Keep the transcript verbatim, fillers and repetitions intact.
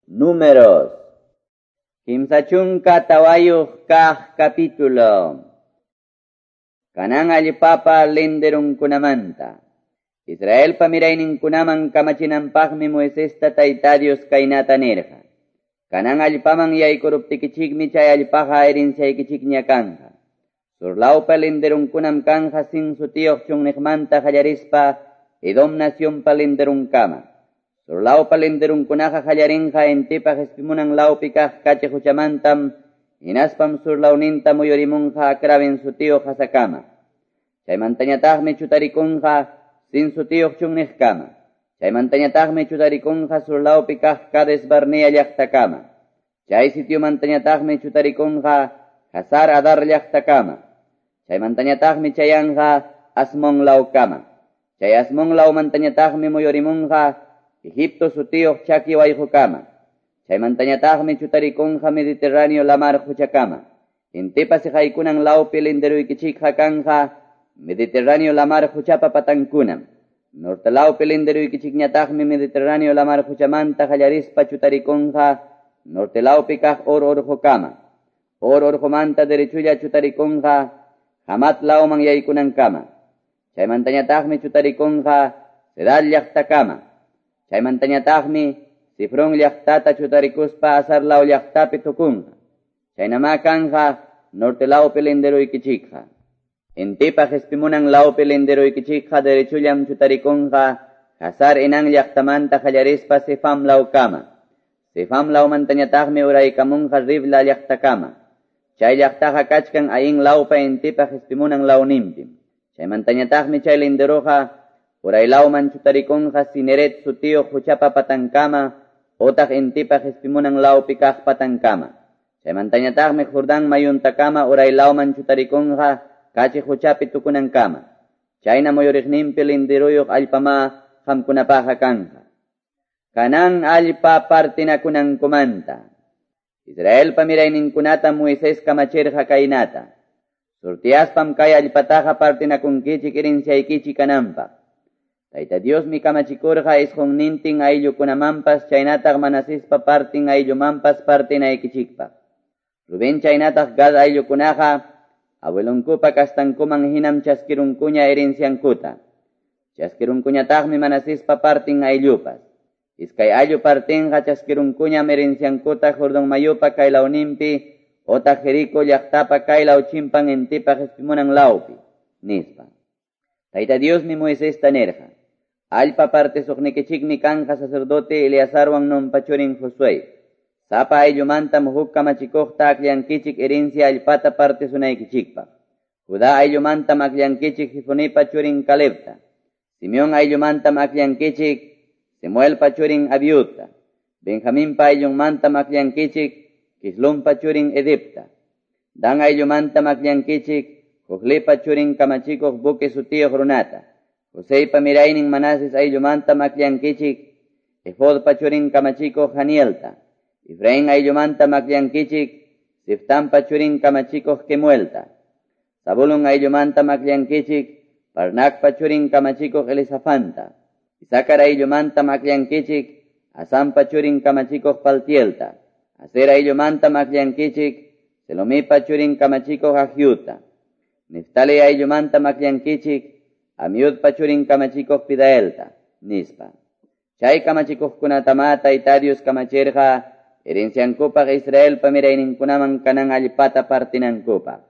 Números. Kimsa chunka tawayuq kaq capítulo. Kanan allpapa linderunkunamanta. Israelpa mirayninkunaman kamachinanpaqmi Moisesta Tayta Dios kaynata nirqa. Kanan allpaman yaykuruptikichikmi chay allpaqa herenciaykichikña kanqa. Surlawpa linderunkunam kanja Sin sutiyuq chunniqmanta qallarispa Edom nacionpa linderunkama. Surlawpa linderunkunaqa qallarinqa intipa qispimunan lawpi kaq kachi quchamantam hinaspam surlawninta muyurimunqa Akrabin sutiyuq qasakama. Chaymantañataqmi chutarikunqa Sin sutiyuq chunniqkama. Chaymantañataqmi chutarikunqa surlawpi kaq Cades Barnea llaqtakama. Chay sitiomantañataqmi chutarikunqa Hazar Adar llaqtakama. Chaymantañataqmi chayanqa Asmon lawkama. Chay Asmon lawmantañataqmi muyurimunqa Egipto sutiyuq chaki wayqukama. Chaymantañataqmi chutarikunqa Mediterráneo lamar quchakama. Intipa siqaykunan lawpi linderuykichikqa kanja Mediterráneo lamar quchapa patankunam. Norte lawpi linderuykichikñataqmi Mediterráneo lamar quchamanta qallarispa chutarikunqa norte lawpi kaq Hor urqukama. Hor urqumanta derechulla chutarikunqa Hamat lawman yaykunankama. Chaymantañataqmi chutarikunqa Sedal llaqtakama. Chaymantañataqmi Sifrón llaqtata chutarikuspa Azar law llaqtapi tukunqa. Chaynama kanja norte lawpi linderuykichikqa. Intipa qispimunan lawpi linderuykichikqa derechullam chutarikunqa Hazar Enán llaqtamanta qallarispa Sefam lawkama. Sefam lawmantañataqmi uraykamunqa Ribla llaqtakama. Chay llaqtaqa kachkan Ain lawpa intipa qispimunan lawninpim. Chaymantañataqmi chay linderuqa uraylawman chutarikunqa Cineret sutiyuq quchapa patankama otaq intipa qispimunan lawpi kaq patankama. Chaymantañataqmi Jordán mayuntakama uraylawman chutarikunqa kachi quchapi tukunankama. Chayna muyuriqninpi linderuyuq allpama qamkunapaqa kanja. Kanan allpa partinakunankumanta. Israelpa mirayninkunata Moisés kamachirqa kaynata. Surtiaspam kay allpataqa partinakunkichik herenciaykichik kananpaq. Tayta Diosmi kamachikurqa isqunnintin ayllukunamanpas chaynataq Manasespa partin ayllumanpas partinaykichikpaq. Rubén chaynataq Gad ayllukunaqa abuelonkupa kastankuman hinam chaskirunkuña herenciankuta. Chaskirunkuñataqmi Manasespa partin ayllupas. Iskay ayllu partinqa chaskirunkuñam herenciankuta Jordón mayupa kaylawninpi otaq Jerico llaqtapa kaylaw chimpan intipa qispimunan lawpi, nispa. Tayta Diosmi Moisesta nirqa. Allpa partisuqnikichikmi kanja sacerdote Eleazarwan Nunpa churin Josué. Sapa ayllumantam huk kamachikuqta akllankichik herencia allpata partisunaykichikpaq. Judá ayllumantam akllankichik Jefonipa churin Calebta. Simeón ayllumantam akllankichik Samuelpa churin Abiudta. Benjaminpa ayllunmantam akllankichik Kislumpa churin Edipta. Dan ayllumantam akllankichik Jojlipa churin kamachikuq Buque sutiyuq runata. Joseypa miraynin Manases ayllumantam akllankichik Efodpa churin kamachikuq Hanielta. Efraín ayllumantam akllankichik Siftampa churin kamachikuq Kemuelta. Zabulón ayllumantam akllankichik Parnacpa churin kamachikuq Elisafanta. Isacar ayllumantam akllankichik Asampa churin kamachikuq Paltielta. Aser ayllumantam akllankichik Selomipa churin kamachikuq Ahiuta. Neftali ayllumantam akllankichik Amiudpa churin kamachikuq Pidaelta, nispa. Chay kamachikuqkunatama Tayta Dios kamachirqa herenciankupaq Israelpa mirayninkunaman kanan allpata partinankupaq.